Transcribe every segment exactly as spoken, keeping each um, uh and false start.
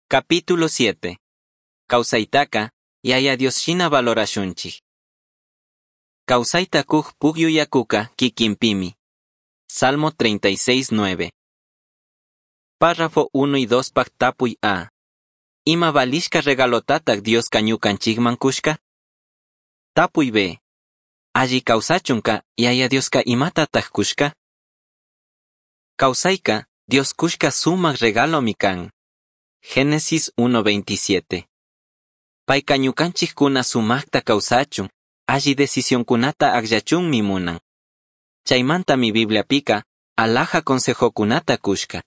Capítulo siete. Causaitaca, Yaya Dios shina valorashunchij. Causaita kuj pugyu yakuka kikinpimi. Salmo treinta y seis, nueve. Párrafo uno y dos pak tapuy A. Ima valishka regalotatak Dioska ñukanchikman kushka? Tapuy B. Alli kawsachunka Yaya Dioska imatatak kushka? Kawsayka Dios kushka sumak regalomi kan. Génesis uno veintisiete. Payka ñukanchikkuna sumakta kawsachun, alli decisionkunata akllachunmi munan. Chaymantami Bibliapika alhaja consejokunata kushka.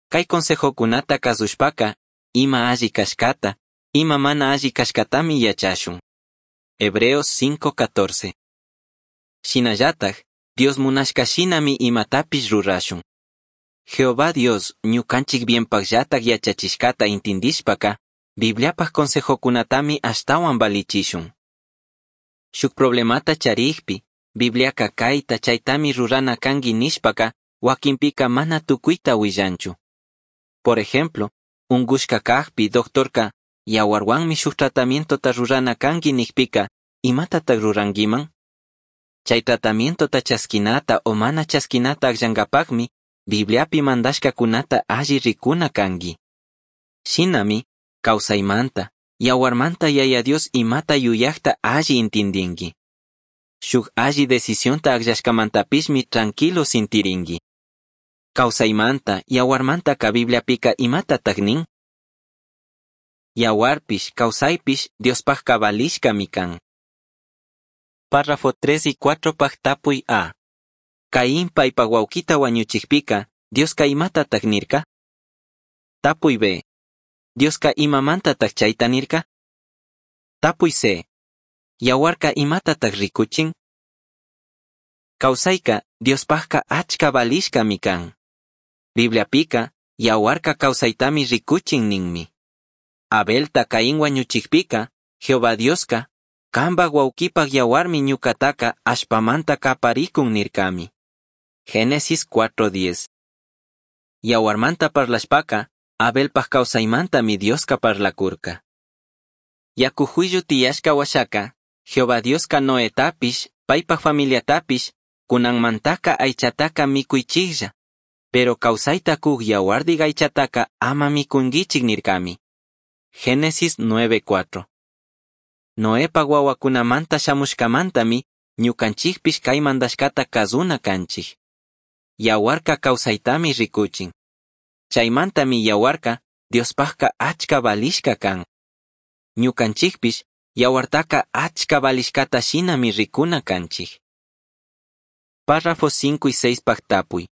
Kay consejokunata kasushpaka ima alli kashkata, ima mana alli kashkatami yachashun. Hebreos cinco catorce. Shinallataj, Dios munashka shinami imatapish rurashun. Jehová Dios ñukanchik bienpakllatak yachachishkata intindishpaka, Bibliapaj consejokunatami ashtawan valichishun. Shuk problemata charikpi, Bibliaka kayta chaytami rurana kanki nishpaka, wakinpika mana tukuyta willanchu. Por ejemplo, ungushka kajpi doctorka yawarwanmi shuk tratamientota rurana kanki nikpika, imatatak rurankiman? Chay tratamientota chaskinata o mana chaskinata akllankapakmi, Bibliapi mandashkakunata alli rikuna kanki. Shinami, kawsaymanta, yawarmanta Yaya Dios imata yuyakta alli intindinki. Shuk alli decisionta akllashkamantapishmi tranquilo sintirinki. Kawsaymanta, yawarmantaka Bibliapika imatatak nin? Yawarpish, kawsaypish, Diospajka valishkami kan. Párrafo tres y cuatro paj tapuy A. Caín paypa wawkita wañuchikpika, Dioska imatatak nirka? Tapuy B. Dioska imamantatak chayta nirka? Tapuy C. Yawarka imatatak rikuchin? Kawsayka, Diospajka achka valishkami kan. Bibliapika, yawarka kawsaytami rikuchin ninmi. Abelta Caín wañuchikpika, Jehová Dioska, kanpak wawkipak yawarmi ñukataka allpamanta kaparikun nirkami. Génesis cuatro diez. Yawarmanta parlashpaka, Abelpaj kawsaymantami Dioska parlakurka. Yaku juillu tiyashka washaka, Jehová Dioska Noetapish, paypaj familiatapish, kunanmantaka aychataka mikuychiklla, pero kawsayta kuk yawardik aychataka ama mikunkichik nirkami. Génesis nueve cuatro. Noepa wawakunamanta shamushkamantami, ñukanchikpish kay mandashkata kazuna kanchik. Yawarka kawsaytami rikuchin. Chaymantami yawarka Diospajka achka valishka kan. Ñukanchikpish yawartaka achka valishkata shinami rikuna kanchik. Párrafo cinco y seis paj tapuy.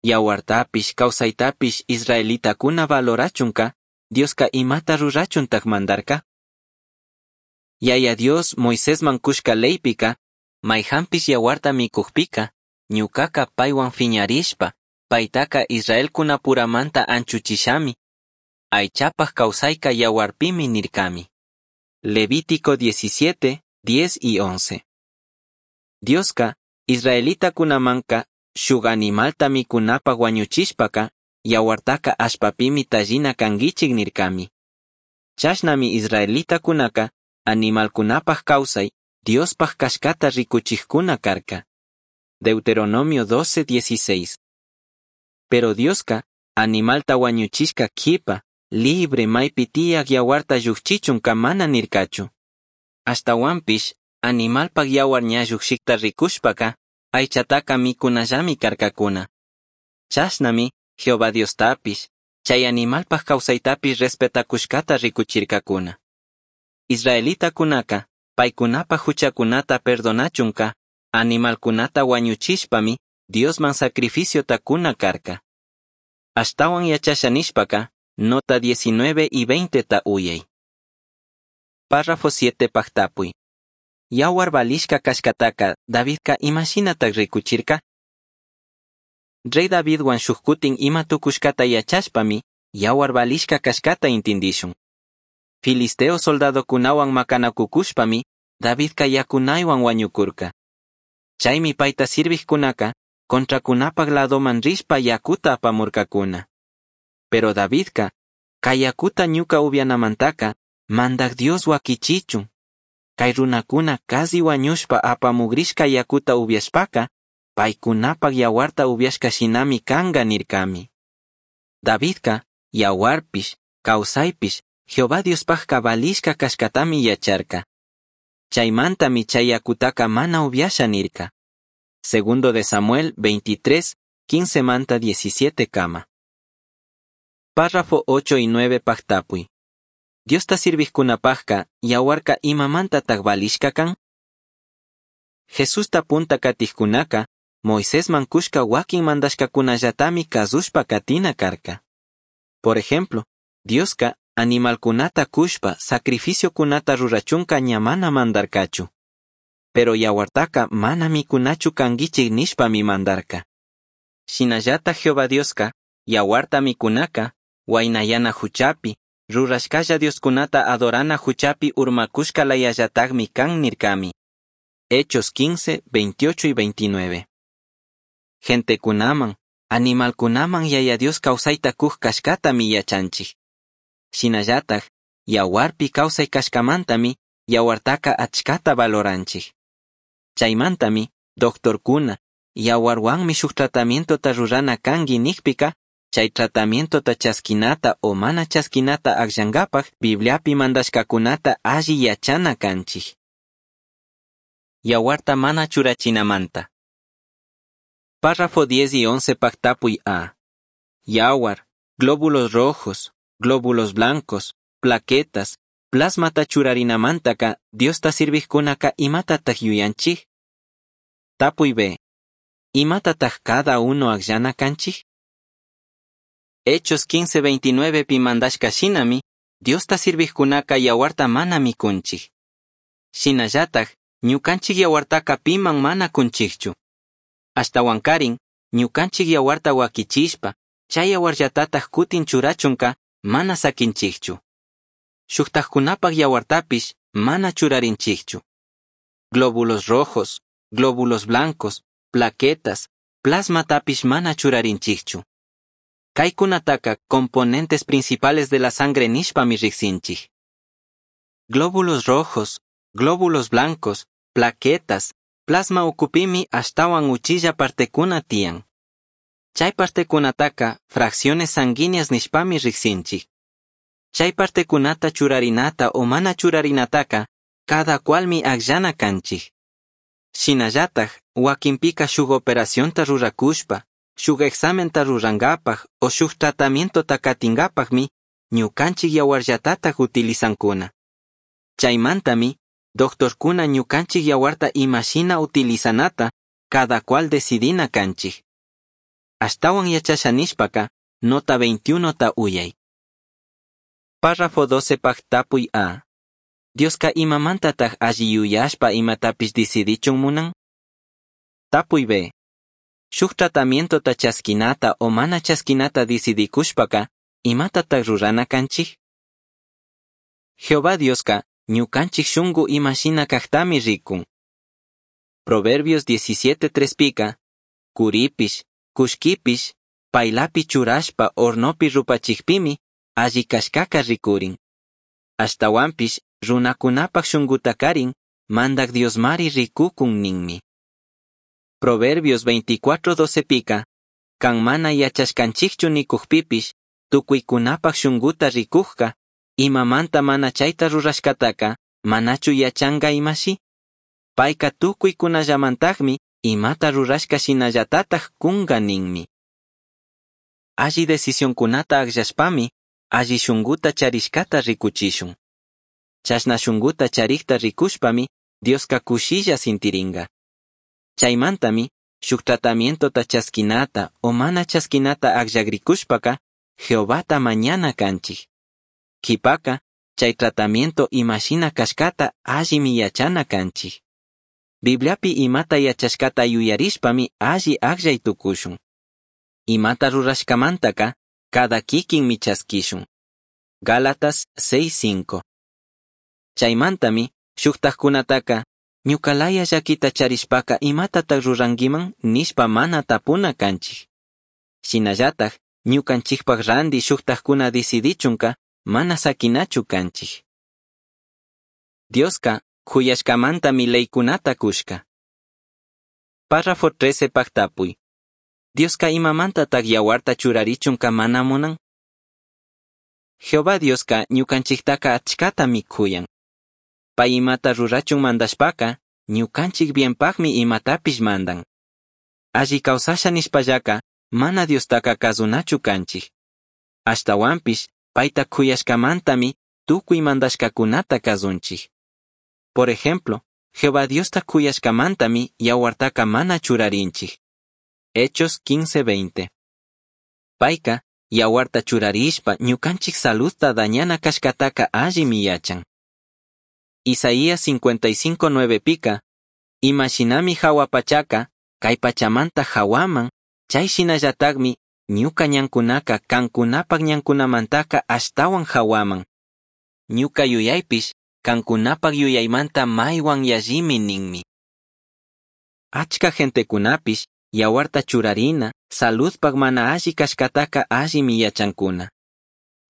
Yawartapish, kawsaytapish israelitakuna valorachunka, Dioska imata rurachuntak mandarka? Yaya Dios Moisésman kushka leypika, mayhanpish yawarta mikukpika, ñukaka paywan fiñarishpa, paytaka Israelkunapuramanta anchuchishami. Aychapaj kawsayka yawarpimi nirkami. Levítico diecisiete, diez y once. Dioska, israelitakunamanka, shuk animalta mikunapaj wañuchishpaka, yawartaka allpapimi tallina kankichik nirkami. Chashnami israelitakunaka, animalkunapaj kawsay, Diospaj kashkata rikuchikkuna karka. Deuteronomio doce, dieciséis. Pero Dioska, animalta wañuchishka kipa, libre maypi tiyak yawarta llukchichunka mana nirkachu. Ashtawanpish, animalpak yawar ña llukshikta rikushpaka, aychataka mikunallami karkakuna. Chashnami, Jehová Diostapish, chay animalpak kawsaytapish respetakushkata rikuchirkakuna. Israelitakunaka, paykunapaj huchakunata perdonachunka, animalkunata wañuchishpami, Diosman sacrificiota kuna karka. Ashtawan yachasha nishpaka, nota diecinueve y veinte ta uyay. Párrafo siete paj tapuy. Yawar valishka kashkataka, Davidka imashinatak rikuchirka? Rey Davidwan shukkutin ima tukushkata yachashpami, yawar valishka kashkata intindishun. Filisteo soldadokunawan makanakukushpami, Davidka yakunaywan wañukurka. Chaymi payta sirvijkunaka, contrakunapak ladoman rishpa yakuta apamurkakuna. Pero Davidka, Cai yacuta ñuca ubyanamantaca Mandaj Dios huaquichichun. Cai runacuna casi huañushpa apamugrishca yacuta ubyashpaca, paicunapaj yahuarta ubyashca shinami canga nircami. Davidca, yahuarpish, causaipish, Jehová Diospajca valishca cashcatami yacharca. Chaimantami chay yacutaca mana ubyasha nirca. Segundo de Samuel veintitrés, quince manta diecisiete kama. Párrafo ocho y nueve pajtapuy. Diosta sirvijkunapajka, yahuarka imamantataj valishca kan? Jesusta punta katijkunaka, Moisésman kushka wakin mandashkakunallatami kazushpa katina karka. Por ejemplo, Dioska animalkunata kushpa sacrificiokunata rurachunka ña mana mandarkachu. Pero yahuartaka mana mikunachu kanguichik nishpami mandarka. Shinallata Jehová Dioska, yahuarta mikunaka, huainayana huchapi, rurashkalla Dioskunata adorana huchapi urmakushka layallatakmi kan nirkami. Hechos quince, veintiocho y veintinueve. Gentekunaman, animalkunaman Yaya Dios kawsayta kuj kashkatami yachanchik. Shinallataj, yawarpi kawsay kashkamantami, yawartaka achkata valoranchik. Chaymantami, doctorkuna, yawarwanmi shuk tratamientota rurana kanki nikpika, chay tratamientota chaskinata o mana chaskinata akllankapaj Bibliapi mandashkakunata alli yachana kanchik. Yawarta mana churachinamanta. Párrafo diez y once pactapuy A. Yawar, glóbulos rojos, glóbulos blancos, plaquetas, plasmata churarinamantaka, Diosta sirvijkunaka imatataj yuyanchik? Tapuy B. Imatataj cada uno akllana kanchik? Hechos quince veintinueve pi mandashka shinami, Diosta sirvijkunaka yawarta mana mikunchik. Shinallataj, ñukanchik yawartaka piman mana kunchikchu. Ashtawankarin, ñukanchik yawarta wakichishpa, chay yawarllatataj kutin churachunka mana sakinchikchu. Shuktajkunapaj yawartapish mana churarinchikchu. Glóbulos rojos, glóbulos blancos, plaquetas, plasmatapish mana churarinchikchu. Kaykunataka componentes principales de la sangre nishpami riqsinchik. Glóbulos rojos, glóbulos blancos, plaquetas, plasma ukupimi ashtawan uchilla partekuna tiyan. Chay partekunataka fracciones sanguíneas nishpami riqsinchik. Chay partekunata churarinata o mana churarinataka cada cualmi akllana kanchik. Shinallataj wakinpika shuk operacionta rurakushpa, shuk examenta rurankapaj o shuk tratamientota katinkapajmi ñukanchik yawarllatataj utilizankuna. Chaymantami, doctorkuna ñukanchik yawarta imashina utilizanata cada cual decidina kanchik. Ashtawan yachasha nishpaka, nota veintiuno ta uyay. Párrafo doce paj tapuy A. Dioska imamantataj alli yuyashpa imatapish decidichun munan? Tapuy B. Shuk tratamientota chaskinata o mana chaskinata decidikushpaka, imatataj rurana kanchik? Jehová Dioska ñukanchik shunku imashina kajtami rikun. Proverbios diecisiete tres pika, kuripish, kushkipish, paylapi churashpa hornopi rupachikpimi, alli kashkaka rikurin. Ashtawanpish, runakunapaj shunkutakarin, mandak Diosmari rikukun ninmi. Proverbios veinticuatro doce pika, kan mana yachashkanchikchu nikukpipish, tukuykunapaj shunkuta rikujka, imamanta mana chayta rurashkataka, manachu yachanka imashi? Payka tukuykunallamantajmi, imata rurashka shinallatataj kunka ninmi. Alli decisionkunata akllashpami, alli shunkuta charishkata rikuchishun. Chashna shunkuta charikta rikushpami, Dioska kushilla sintirinka. Chaymantami, shuk tratamientota chaskinata o mana chaskinata akllagrikushpaka, Jehovata mañana kanchik. Kipaka, chay tratamiento imashina kashkata allimi yachana kanchik. Bibliapi imata yachashkata yuyarishpami alli akllay tukushun. Imata rurashkamantaka, cada kikinmi chaskishun. Gálatas seis cinco. Chaymantami, shuktajkunataka, ñukalaya llakita charishpaka imatataj rurankiman nishpa mana tapuna kanchik. Shinallataj, Ñucanchijpaj randi shujtajcuna decidichunca mana saquinachu canchij. Diosca juyashcamantami leycunata cushca. Párrafo trece paj tapui. Diosca imamantataj yahuarta churarichunca mana munan? Jehová Diosca ñucanchijtaca achcatami cuyan. Pai imata rurachun mandashpaca, ñucanchij bienpajmi imatapish mandan. Alli causasha nishpallaca, mana Diostaca cazunachu canchij. Ashtahuanpish, paita cuyashcamantami tucui mandashcacunata cazunchij. Por ejemplo, Jehová Diosta cuyashcamantami yahuartaca mana churarinchij. Hechos quince veinte. Paica, yahuarta churarishpa ñucanchij saludta dañana cashcataca allimi yachan. Isaías cincuenta y cinco nueve pica, ima shinami jahua pachaca, cai pachamanta jahuaman, chai shinallatajmi ñuca ñancunaca cancunapac ñancunamantaca ashtahuan jahuaman. Ñuca yuyaipish, cancunapac yuyaimanta maihuan yallimi ninmi. Achca gentecunapish, yahuarta churarina, saludpac mana alli cashcataca allimi yachancuna.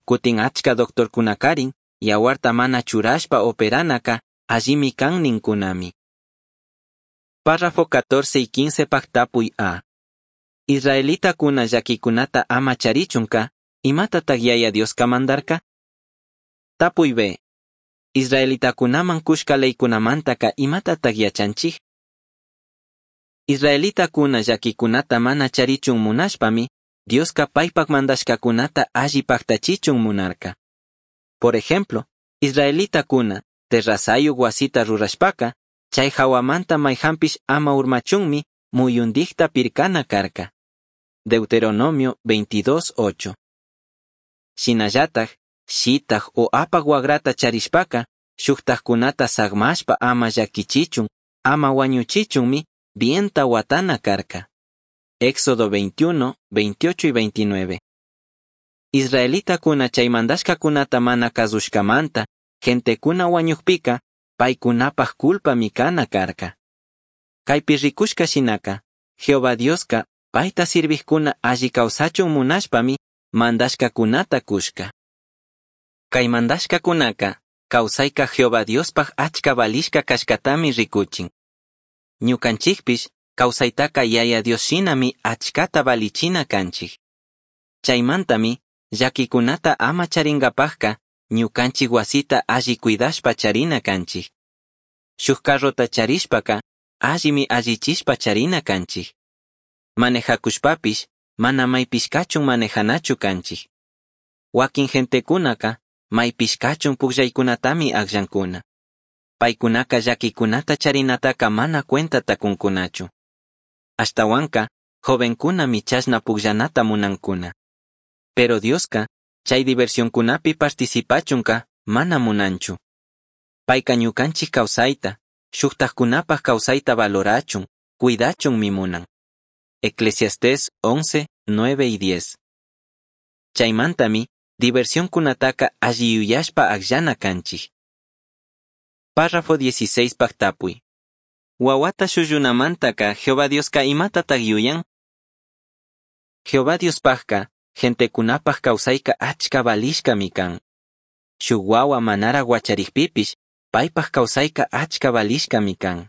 Cutin achca doctorcunacarin, yahuarta mana churashpa operanaca allimi can nincunami. Párrafo catorce y quince pactapuy A. Israelitakuna llaquicunata ama charichunka, imatataj Yaya Dioska mandarka? Tapuy B. Israelitakunaman kushka leykunamantaka imatataj yachanchij? Israelitakuna llaquicunata mana charichun munashpami, Dioska paypak mandashkakunata alli paktachichun munarka. Por ejemplo, israelitakuna terrazayuq wasita rurashpaka, chay hawamanta mayhanpish ama urmachunmi muyundikta pirkana karka. Deuteronomio veintidós ocho. Shinallataj, shitaj o apak wagrata charishpaka, shuktajkunata sagmashpa ama llakichichun, ama wañuchichunmi bienta watana karka. Éxodo veintiuno, veintiocho y veintinueve. Israelitakuna chay mandashkakunata mana kazushkamanta, gentekuna wañukpika, paykunapaj culpami kana karka. Kaypi rikushka shinaka, Jehová Dioska payta sirvijkuna alli kawsachun munashpami mandashkakunata kushka. Kay mandashkakunaka, kawsayka Jehová Diospaj achka valishka kashkatami rikuchin. Ñukanchikpish, kawsaytaka Yaya Dios shinami achkata valichina kanchik. Chaymantami, llakikunata ama charingapajka, ñukanchik wasita alli cuidashpa charina kanchik. Shuk carrota charishpaka, allimi allichishpa charina kanchik. Manejakushpapish, mana maypishkachun manejanachu kanchik. Wakin gentekunaka, maypishkachun pukllaykunatami akllankuna. Paykunaka llakikunata charinataka mana cuentata kunkunachu. Ashtawanka, jovenkunami chashna pukllanata munankuna. Pero Dioska, chay diversionkunapi participachunka mana munanchu. Payka ñukanchik kawsayta, shuktajkunapaj kawsayta valorachun, cuidachunmi munan. Eclesiastés once, nueve y diez. Chaymantami, diversionkunataka alli yuyashpa akllana kanchik. Párrafo dieciséis pajtapuy. Wawata shullunamantaka Jehová Dioska imatataj yuyan? Jehová Diospajka, gentekunapaj kawsayka achka valishkami kan. Shuk wawa manara wacharikpipish, paypaj kawsayka achka valishkami kan.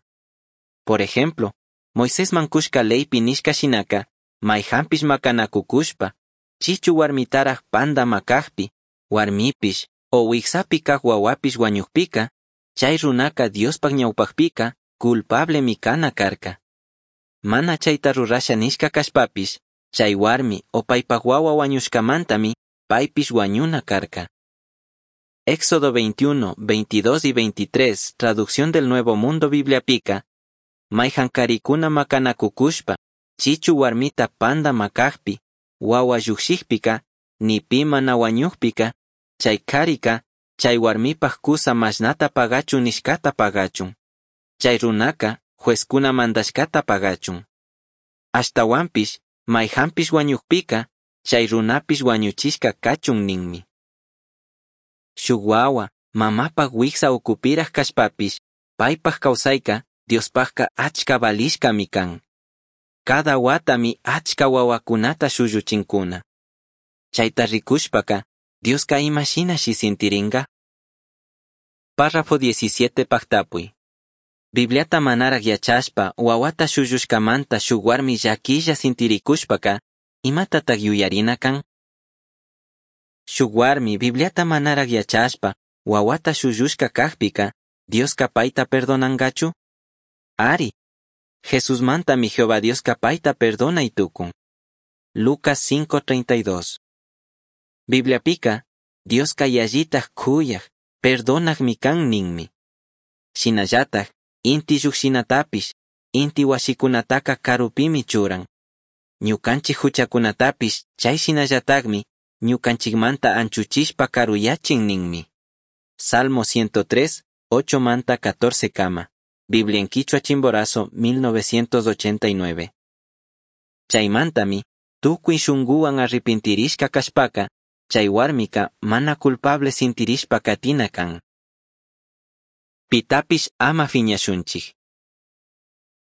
Por ejemplo, Moisésman kushka leypi nishka shinaka, mayhanpish makanakukushpa, chichu warmitaraj panda makajpi, warmipish o wiksapi kaj wawapish wañukpika, chay runaka Diospaj ñawpajpika culpablemi kana karka. Mana chayta rurasha nishka kashpapish, chay warmi o paypaj wawa wañushkamantami paypish wañuna karka. Éxodo veintiuno, veintidós y veintitrés, traducción del Nuevo Mundo Bibliapika, mayhan karikuna makanakukushpa, chichu warmita panda makajpi, wawa llukshikpika, ni pi mana wañukpika, chay karika, chay warmipaj kusa mashnata pagachun nishkata pagachun. Chay runaka, juezkuna mandashkata pagachun. Ashtawanpish, mayhanpish wañukpika, chay runapish wañuchishka kachun ninmi. Shuk wawa, mamapaj wiksa ukupiraj kashpapish, paypaj kawsayka, Diospajka achka valishkami kan. Cada watami achka wawakunata shulluchinkuna. Chaita ricushpaca, Diosca ima shinashi sintiringa? Párrafo diecisiete paj tapui. Bibliata manaraj yachashpa huahuata shullushcamanta shuj huarmi llaquilla sintiricushpaca, imatataj yuyarina can? Shuj huarmi Bibliata manaraj yachashpa huahuata shullushca cajpica, Diosca paita perdonangachu? Ari. Jesusmantami Jehová Diosca paita perdonai tucun. Lucas cinco treinta y dos. Bibliapica, Diosca yallitaj cuyaj, perdonajmi can ninmi. Shinallataj, inti llujshinatapish, inti huashicunataca carupimi churan. Ñucanchij juchacunatapish chai shinallatajmi, ñucanchijmanta anchuchishpa caruyachin ninmi. Salmo ciento tres, ocho manta catorce kama. Biblia en Quichua Chimborazo, mil novecientos ochenta y nueve. Chaimantami, tucui shunguwan arrepintirishka kashpaka, chay warmika mana culpable sintirishpa katina kan. Pitapish ama fiñashunchik.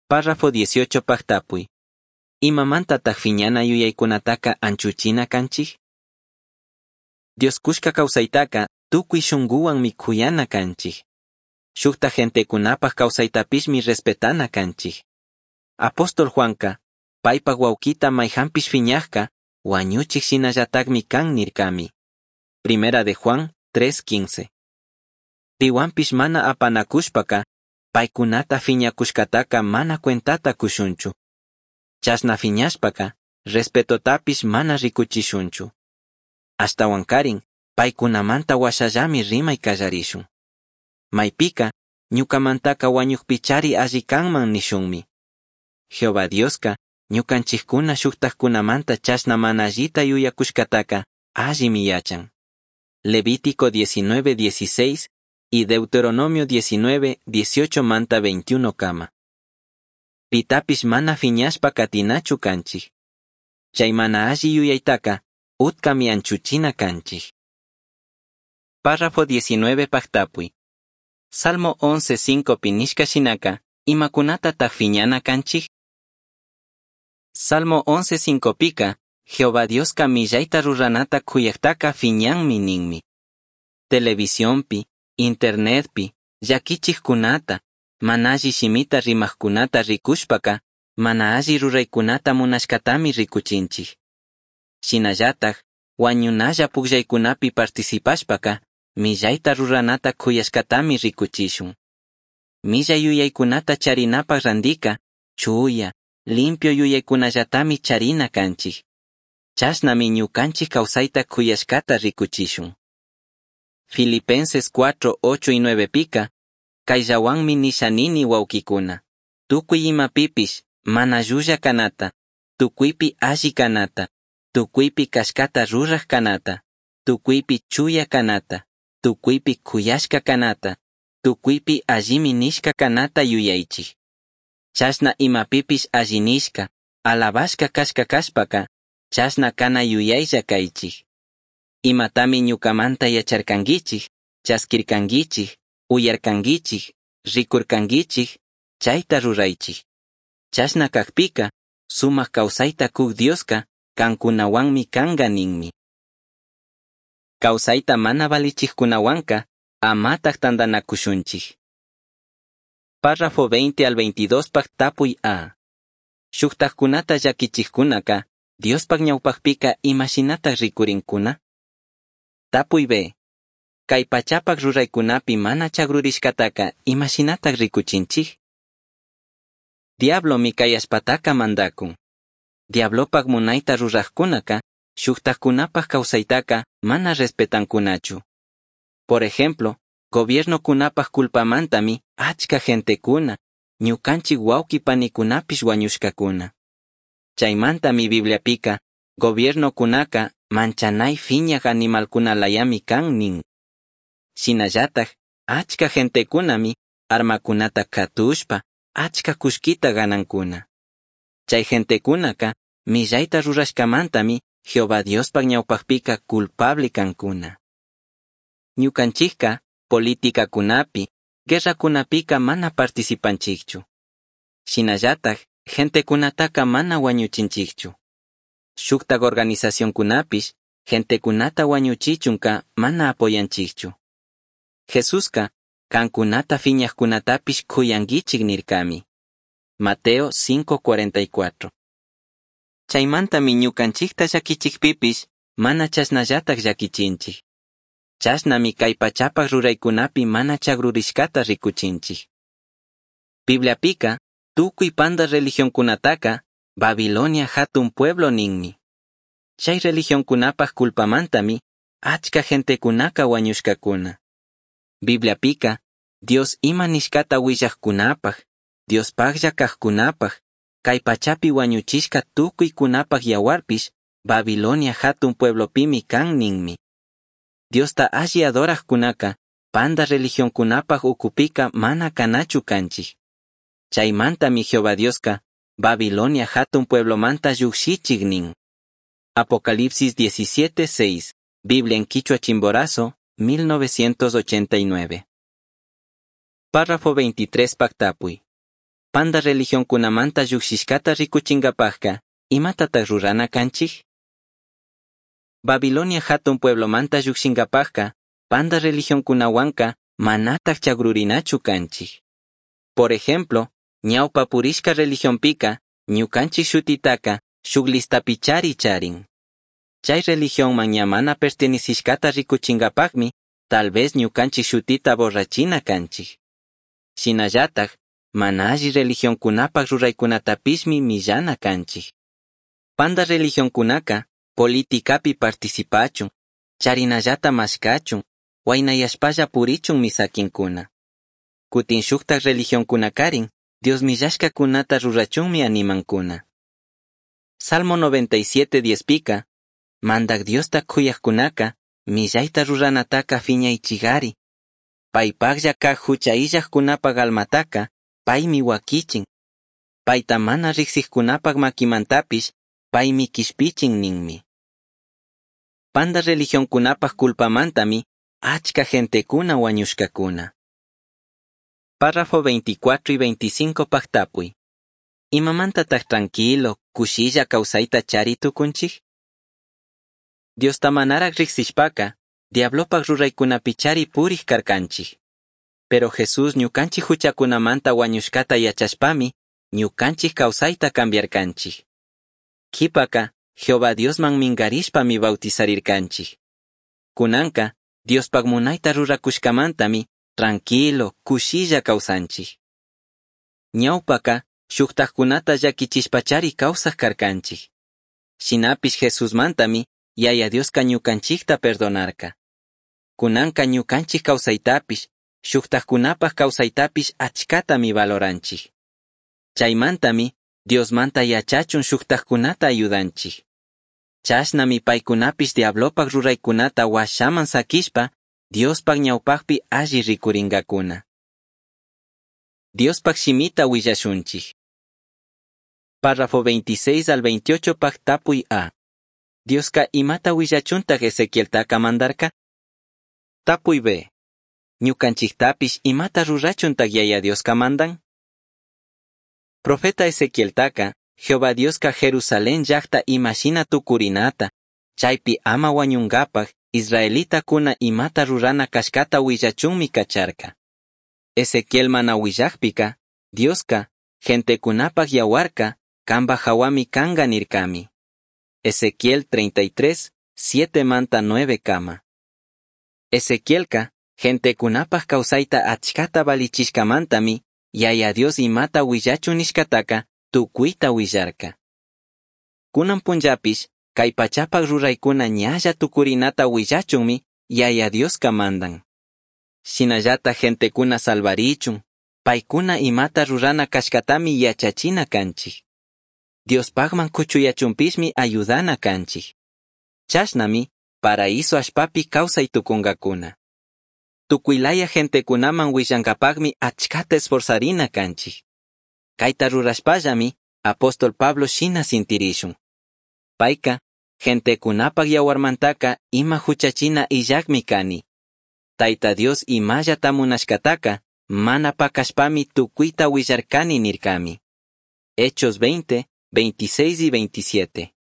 Párrafo dieciocho pajtapuy. Imamantataq fiñana yuyaykunataka anchuchina kanchik? Dios kushka kawsaytaka tukuy shunguwanmi kuyana kanchik. Shukta gentekunapaj kawsaytapishmi respetana kanchik. Apóstol Juanka, paypaj wawkita mayhanpish fiñajka, wañuchik shinallatakmi kan nirkami. Primera de Juan tres quince. Piwanpish mana apanakushpaka, paykunata fiñakushkataka mana cuentata kushunchu. Chashna fiñashpaka, respetotapish mana rikuchishunchu. Ashtawankarin, paykunamanta washallami rimay kallarishun. Maypika, ñukamantaka wañukpichari alli kanman nishunmi. Jehová Dioska, ñukanchikkuna shuktajkunamanta chashna mana allita yuyakushkataka allimi yachan. Levítico diecinueve dieciséis y Deuteronomio diecinueve dieciocho manta veintiuno kama. Pitapish mana fiñashpa katinachu kanchik. Chay mana alli yuyaytaka, utkami anchuchina kanchik. Párrafo diecinueve pajtapuy. Salmo once cinco pinishka shinaka, imakunata fiñana kanchik? Salmo once cinco pika, Jehová Dioska millayta ruranata kuyaktaka fiñanmi ninmi. Televisionpi, internetpi, llakichikkunata, mana alli shimita rimajkunata rikushpaka, mana alli ruraykunata munashkatami rikuchinchik. Shinallataj, wañunalla pukllaykunapi participashpaka, millayta ruranata kuyashkatami rikuchishun. Millay yuyaykunata charinapaj randika, chuya, limpio yuyaykunallatami charina kanchik. Chashnami ñukanchik kawsayta kuyashkata rikuchishun. Filipenses cuatro, ocho y nueve pika, kayllawanmi nishanini wawkikuna. Tukuy imapipish, mana llulla kanata, tukuypi alli kanata, tukuypi kashkata ruraj kanata, tukuypi chuya kanata, tukuypi kuyashka kanata, tukuypi allimi nishka kanata yuyaychik. Chashna imapipish alli nishka, alabashka kashka kashpaka, chashna kana yuyaylla kaychik. Imatami ñukamanta yacharkankichik, chaskirkankichik, uyarkankichik, rikurkankichik, chayta ruraychik. Chashna kakpika, sumak kawsayta kuk Dioska, kankunawanmi kanka ninmi. Kawsayta mana valichikkunawanka, amataj tantanakushunchik. Párrafo veinte al veintidós pak tapuy A. Shuktajkunata llakichikkunaka, Diospak ñawpakpika imashinataq rikurinkuna? Tapuy B. Kay pachapak ruraykunapi mana chagrurishkataka imashinataq rikuchinchik? Diablomi kay allpataka mandakun. Diablopak munayta rurajkunaka, shuktajkunapak kawsaytaka mana respetankunachu. Por ejemplo, gobiernokunapak culpamantami achka gentekuna, ñukanchik wawqi panikunapish wañushkakuna. Chaymantami Bibliapika, gobiernokunaka manchanay fiñaj animalkunalayami kan nin. Shinallataj, achka gentekunami armakunata katushpa, achka kullkita ganankuna. Chay gentekunaka millayta rurashkamantami Jehová Diospak ñawpakpika culpable kankuna. Ñukanchikka politikakunapi, guerrakunapika mana participanchikchu. Shinallataj, gentekunataka mana wañuchinchikchu. Shuktak organizacionkunapish, gentecunata huañuchichunca mana apoyanchijchu. Jesusca cancunata fiñajcunatapish c'uyanguichij nircami. Mateo cinco cuarenta y cuatro. Chaimantami ñucanchijta llaquichijpipish mana chashnallataj llaquichinchij. Chashnami cai pachapaj ruraicunapi mana chagrurishcata ricuchinchij. Bibliapica, tucui panda religioncunataca, Babilonia jatun pueblo ninmi. Chai religioncunapaj culpamantami, achca gentecunaca huañushcacuna. Bibliapica, Dios ima nishcata huillajcunapaj, Diospajlla cajcunapaj, cai pachapi huañuchishca tucuicunapaj yahuarpish, Babilonia jatun pueblopimi can ninmi. Diosta alli adorajcunaca, panda religioncunapaj ucupica mana canachu canchij. Chaimantami Jehová Diosca, Babilonia jatun pueblomanta llujshichij nin. Apocalipsis diecisiete seis, Biblia en Quichua Chimborazo, mil novecientos ochenta y nueve. Párrafo veintitrés Pactapui. Panda religioncunamanta llujshishcata ricuchingapajca, imatataj rurana canchij? Babilonia jatun pueblomanta llujshingapajca, panda religioncunahuanca manataj chagrurinachu canchij. Por ejemplo, ñaupa purishca religionpica, ñucanchij shutitaca, shuk listapichari charin. Chay religionman ña mana pertenecishcata ricuchingapajmi, tal vez ñucanchij shutita borrachina canchij. Shinallataj, mana alli religioncunapaj ruraicunatapishmi millana canchij. Panda religioncunaca, politicapi participachun, charinallata mashcachun, huainayashpalla purichunmi saquincuna. Cutin shujtaj religioncunacarin, Dios millashcacunata rurachunmi animancuna. Salmo noventa y siete diez pica, Mandak Diosta c'uyajcunaca, millaita ruranataca fiñaichigari. Paipajlla caj jucha illajcunapaj almataca, paimi huaquichin. Paita mana rijsijcunapaj maquimantapish, paimi quishpichin ninmi. Panda religioncunapaj culpamantami, achca gentecuna huañushcacuna. Párrafo veinticuatro y veinticinco pactapui. Imamantataj tranquilo, cushilla causaita chari tucunchij? Diosta manaraj rijsishpaca, diablopaj ruraicunapichari purij carcanchij. Pero Jesús ñucanchij juchacunamanta huañushcata yachashpami, ñucanchij causaita cambiarcanchij. Quipaka, Jehová Diosman mingarishpami bautizarircanchij. Cunanca, Diospaj munaita ruracushcamantami, tranquilo, cushilla causanchij. Ñaupaka, shujtajcunata llaquichishpachari causaj carcanchij. Shinapish Jesusmantami, Yaya Dioska ñucanchijta perdonarca. Cunanca ñucanchij causaitapish, shujtajcunapaj causaitapish achcatami valoranchij. Chaimantami, Diosmanta yachachun shujtajcunata ayudanchij. Chashnami paicunapish diablopaj ruraicunata huashaman saquishpa, Diospaj ñaupajpi alli ricuringacuna. Diospaj shimita huillashunchij. Párrafo veintiséis al veintiocho paj tapuy A. Dioska imata huillachuntaj Ezequieltaca mandarca? Tapuy B. Ñucanchijtapish imata rurachuntaj Yaya Dioska mandan? Profeta Ezequieltaca, Jehová Dioska Jerusalén llajta imashina tucurinata, chaypi ama huañungapaj, israelitacuna imata rurana cashcata huillachunmi cacharca. Ezequiel mana huillajpica, Dioska, gentecunapaj yahuarca, camba jahuami canga nircami. Ezequiel treinta y tres, siete manta nueve kama. Ezequielka, gentecunapaj causaita achcata valichishcamantami, Yaya Dios imata huillachun nishcataca, tucuita huillarca. Cunan punllapish, cai pachapaj ruraicuna ñalla tucurinata huillachunmi, Yaya Dioska mandan. Shinallata gentecuna salvarichun, paicuna imata rurana cashcatami yachachina canchij. Diospajman cuchuyachunpishmi ayudana canchij. Chashnami, paraíso allpapi causai tucungacuna. Tucuilaya gentecunaman huillancapajmi achcata esforzarina canchij. Caita rurashpallami, apóstol Pablo shina sintirishun. Paica, gentecunapaj yahuarmantaca ima juchachina illajmi cani. Taita Dios imallata munashcataca, mana pacashpami tucuita huillarcani nircami. Hechos veinte, veintiséis y veintisiete.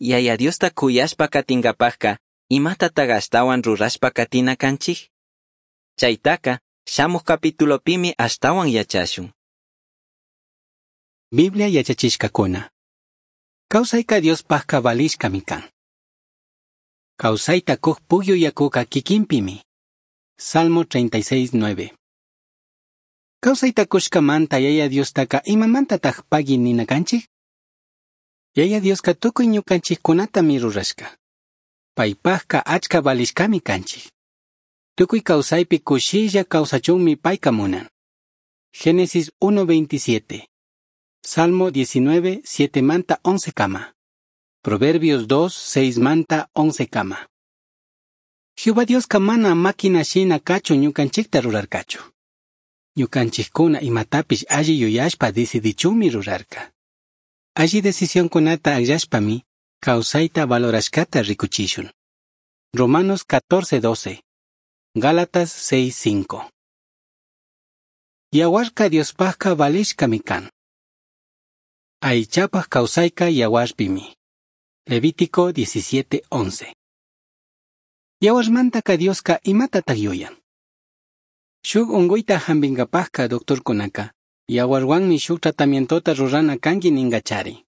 Yaya Diosta c'uyashpa catingapajca imatataj ashtahuan rurashpa catina canchij? Chaitaca shamuj capitulopimi ashtahuan yachashun. Biblia yachachishcacuna. Kawsayka Diospajka valishkami kan. Kawsayta kuj pugyu yakuka kikinpimi. Salmo treinta y seis, nueve. Kawsayta kushkamanta Yaya Diostaka imamantataj pagui nina kanchik? Yaya Dioska tukuy ñukanchikkunatami rurashka. Paypajka achka valishkami kanchik. Tukuy kawsaypi kushilla kawsachunmi payka munan. Génesis uno veintisiete. Salmo diecinueve, siete manta once kama. Proverbios dos, seis manta once kama. Jehová Dioska mana máquina shina kachun ñukanchikta rurarkachu. Ñukanchikkuna imatapish alli yuyashpa decidichunmi rurarka. Alli decisionkunata akllashpami kawsayta valorashkata rikuchishun. Romanos catorce, doce. Gálatas seis, cinco. Yawarka Diospajka valishkami kan. Aychapaj kawsayka yawarpimi. Levítico diecisiete, once. Yawarmantaka Dioska imatataq yuyan. Shuk unquyta hampinkapajka doctorkunaka yawarwanmi shuk tratamientota rurana kanki ninkachari.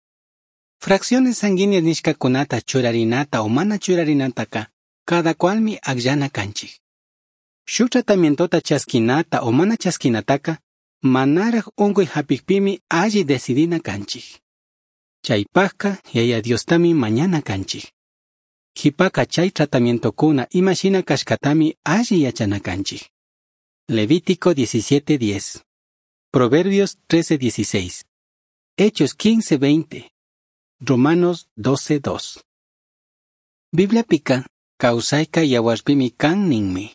Fracciones sanguíneas nishkakunata churarinata o mana churarinataka cada cualmi akllana kanchik. Shuk tratamientota chaskinata o mana chaskinataka manaraj unquy hapikpimi alli decidina kanchik. Chaypajka Yaya Diostami mañana kanchik. Jipaka chay tratamientokuna imashina kashkatami alli yachana kanchik. Levítico diecisiete, diez. Proverbios trece, dieciséis. Hechos quince, veinte. Romanos doce, dos. Bibliapika, kawsayka yawarpimi kan ninmi.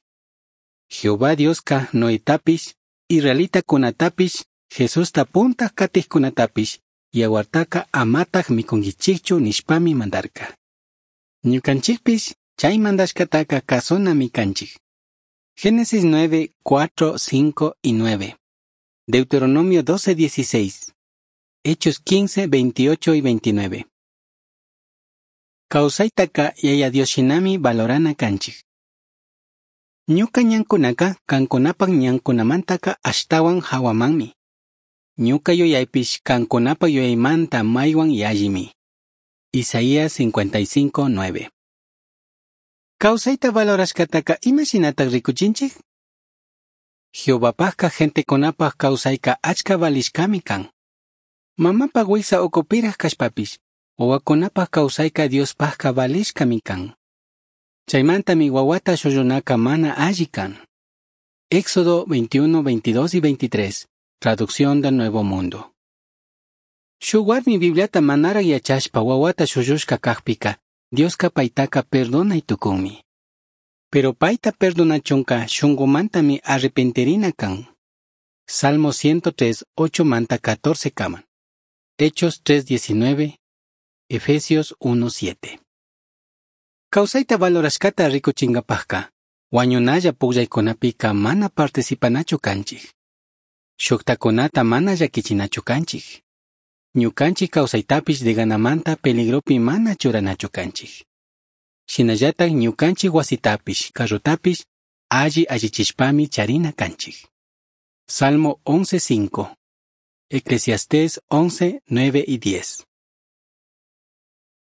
Jehová Dioska Noetapish, israelitakunatapish, Jesusta puntaj katijkunatapish, yawartaka amataj mikunkichikchu nishpami mandarka. Ñukanchikpish chay mandashkataka kasunami kanchik. Génesis nueve, cuatro, cinco y nueve. Deuteronomio doce, dieciséis. Hechos quince, veintiocho y veintinueve. Kawsaytaka Yaya Dios shinami valorana kanchik. Ñuka ñankunaka kankunapak ñankunamantaka ashtawan hawamanmi. Ñuka yuyaypish kankunapak yuyaymanta maywan yallimi. Isaías cincuenta y cinco, nueve. Kawsayta valorashkataka imashinatak rikuchinchik? Jehovapajka gentekunapaj kawsayka achka valishkami kan. Mamapaj wiksa ukupiraj kashpapish, wawakunapaj kawsayka Diospajka valishkami kan. Chaymantami wawata shullunaka mana alli kan. Éxodo veintiuno, veintidós y veintitrés, traducción del Nuevo Mundo. Shuk warmi Bibliata manaraj yachashpa wawata shullushka kajpika, Dioska paytaka perdonay tukunmi. Pero payta perdonachunka shunqumantami arrepentirina kan. Salmo ciento tres, ocho manta catorce kaman. Hechos tres, diecinueve, Efesios uno, siete. Kawsayta valorashkata rikuchinkapajka, wañunalla pukllaykunapika mana participanachu kanchik. Shuktakunata mana llakichinachu kanchik. Ñukanchik kawsaytapish deganamanta peligropi mana churanachu kanchik. Shinallatak ñukanchik wasitapish, carrotapish, alli allichishpami charina kanchik. Salmo once, cinco. Eclesiastés once, nueve y diez.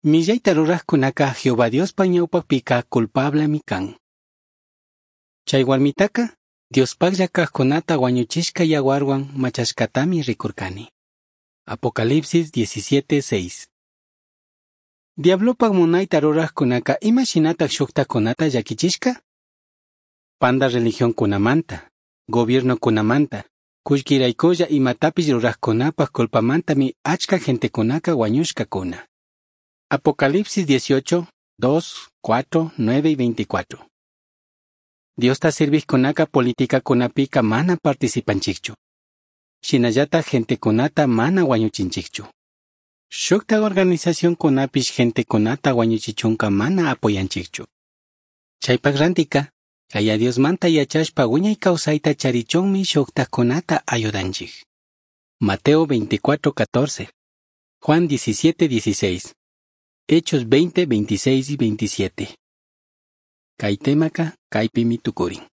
Millayta rurajkunaka Jehová Diospa ñawpakpika culpablemi kan. Chay warmitaka Diospaklla kajkunata wañuchishka yawarwan machashkatami rikurkani. Apocalipsis diecisiete, seis. Diablopak munayta rurajkunaka imashinatak shuktakunata llakichishka? Panda religionkunamanta, gobiernokunamanta, kullkiraykulla imatapish rurajkunapak culpamantami achka gentekunaka wañushkakuna. Apocalipsis dieciocho, dos, cuatro, nueve y veinticuatro. Diosta sirvijkunaka politikakunapika mana participanchikchu. Shinallata gentekunata mana wañuchinchikchu. Shukta organizacionkunapish gentekunata wañuchichunka mana apoyanchikchu. Chaypak rantika, Yaya Diosmanta yachashpa wiñay kawsayta charichunmi shuktakunata ayudanchik. Mateo veinticuatro, catorce, Juan diecisiete, dieciséis, Hechos veinte, veintiséis y veintisiete. Kay temaka kaypimi tukurin.